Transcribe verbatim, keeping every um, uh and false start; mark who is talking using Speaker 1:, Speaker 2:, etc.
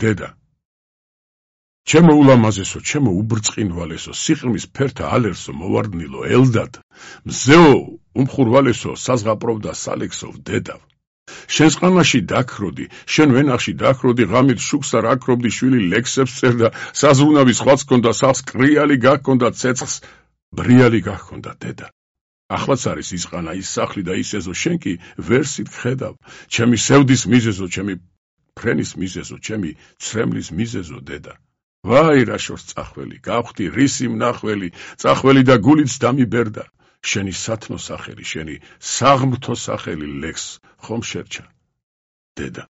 Speaker 1: დედა ჩემო ულამაზესო, ჩემო უბრწყინვალესო, სიყრმის ფერთა ალერსო, მოვარდნილო, ელდად, მზეო, უმხურვალესო, საზღაპროვდა სალექსო, დედავ. შენს ყანაში დაქროდი, შენ ვენახში დაქროდი, ღამით შუქს არ აკრობდი, შვილი ლექსებს წერდა, საზრუნავი სხვაც ჰქონდა, სახლს კრიალი გაქონდა, ცეცხლს ბრიალი გაქონდა, დედა. ახლაც არის ის ყანა, ის სახლი და ის ეზო, შენ კი ვერსით ხედავ, ჩემი სევდის მიზეზო, ჩემი ფრენის მიზეზო, ჩემი ცრემლის მიზეზო, დედა. ვაი რა შორს წახველი, გავხდი რისი მნახველი, წახველი და გულიც დამიბერდა. შენი სათნო სახელი, შენი საღმრთო სახელი ლექს ხომ შერჩა, დედა.